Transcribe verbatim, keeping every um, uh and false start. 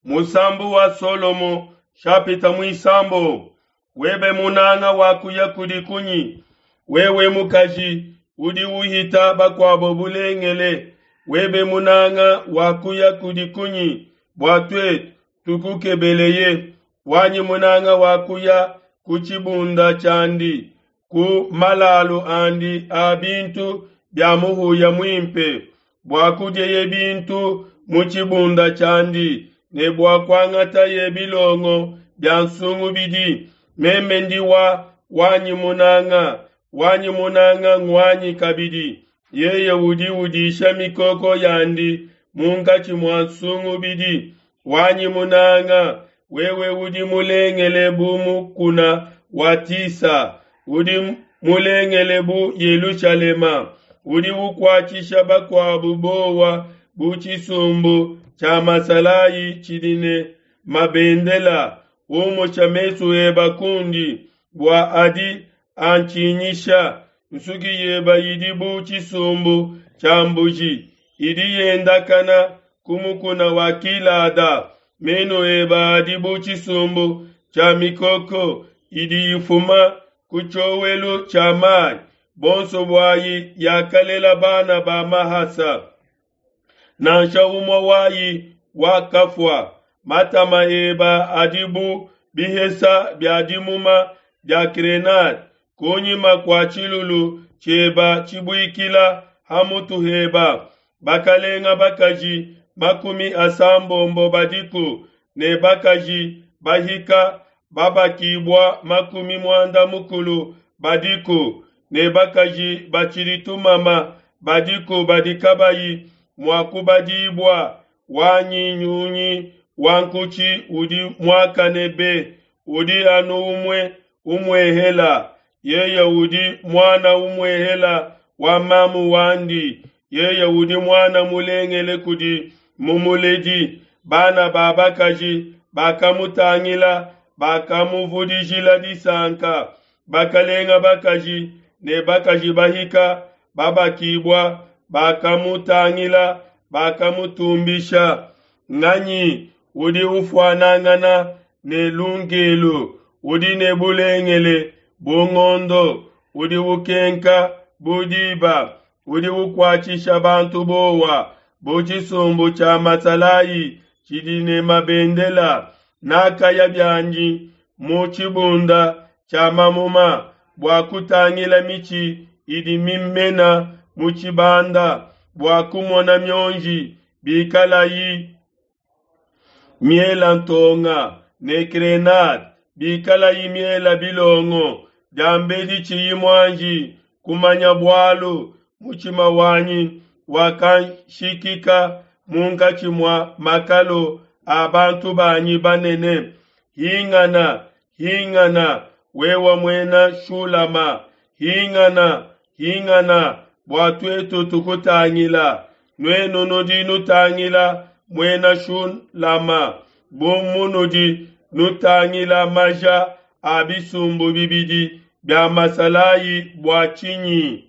Musambu wa Solomo shapita muisambombo webe munanga wakuya kudi kunyi? Wewe mukaji udi uhita bakuabo bulengele, webe munanga wakuya kudi kunyi bua tuetu tukukebeleye? Wanyi munanga wakuya ku tshibunda tshiandi, ku malalu andi a bintu bia muhuya muimpe, bua kudieye bintu mu tshibunda tshiandi ne bua kuangateye bilongo bia nsungubidi. Meme ndi wa wanyi munanga, wanyi munanga nguanyi kabidi. Yeye udi udisha mikoko yandi munkatshi mua nsungubidi. Wanyi munanga, wewe udi mulengele bu mukuna wa Tisa, udi mulengele bu Yelushalema, udi ukuatshisha bakuabu bowa bu tshisumbu tshia masalayi tshidi ne mabendela. Umusha mesu eba kundi, bua adi antshinyisha. Nsuki yeba idi bu tshisumbu tshia mbuji idi yendakana ku mukuna wa Gilada. Menu eba adi bu tshisumbu tshia mikoko idi ifuma ku tshiowelu tshia mayi, bonso buayi yakalela bana ba mahasa. Nansha umue wayi wakafua. Matama eba adi bu bihesa bia dimuma dia grenade kunyima kua tshilulu tshieba tshibuikila ha mutu heba. Bakalenga bakaji makumi asambombo badiku ne bakaji bahika babakibua makumi muanda mukulu badiku ne bakaji batshidi tumama badiku badi kabayi mua kubadibua. Wanyi nyunyi wa nkutshi udi muakane be, udi anu umue umuehela. Yeye udi muana umuehela wa mamu wandi, yeye udi muana mulengele kudi mumuledi. Bana ba bakaji bakamutangila, bakamuvudijila disanka. Bakalenga bakaji ne bakaji bahika babakibua bakamutangila, bakamutumbisha. Nganyi udi ufuanangana ne lungelu, udi ne bulengele bu ngondo, udi ukenka bu diba, udi ukuatshisha bantu bowa bu tshisumbu tshia masalayi tshidi ne mabendela? Nakaya bianyi mu tshibunda tshia mamuma bua kutangila mitshi idi mimena mu tshibanda, bua kumona mionji bikalayi miela ntonga ne grenade bikalayi miela bilongo. Diambedi tshiyi muanji kumanya bualu, mutshima wanyi wakanshikika munkatshi mua makalu a bantu banyi banene. Hingana, hingana, wewe muena Shulama, hingana, hingana, bua tuetu tukutangila. Nuenu nudi nutangila muena Shulama bu munudi nutangila maja a bisumbu bibidi bia masalayi bua tshinyi?